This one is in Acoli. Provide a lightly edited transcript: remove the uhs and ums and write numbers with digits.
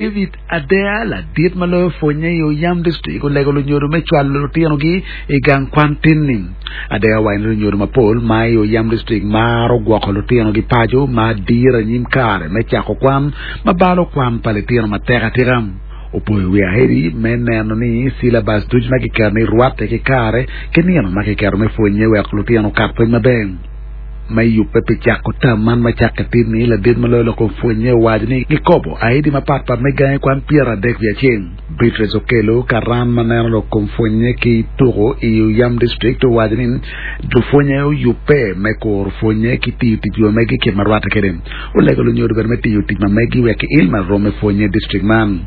David Adea, ladit ma loyo pwonye i Oyam District olego lunyodo me cwalo lutinogi i gang kwan tin-ni. Adea owaco ni lunyodo mapol ma i Oyam District maro gwoko lutinogi paco ma diro anyim kare me cako kwan ma balo kwan pa litino matek atika. Opoyo wi Aheri me neno ni silabas ducu ma kiketo ni rwatte ki kare ki nino ma kiketo me pwonye wek lutino okat pwony maber. Me yubbe pi cako tam man ma cakke tin-ni, ladit ma loyo lok kom pwonnye owaco ni gikobo aidi mapatpat me gangi kwan 31. Beatrice Okello, karan ma neno lok kom pwonnye ki tuko i Oyam District owaco ni lupwonnye oyubbe me kuro pwonnye ki tiyo tic ma megi kit ma rwatte kwede. Olego lunyodo bene me tiyo tic ma megi wek kiil ma rom me pwonnye i district man.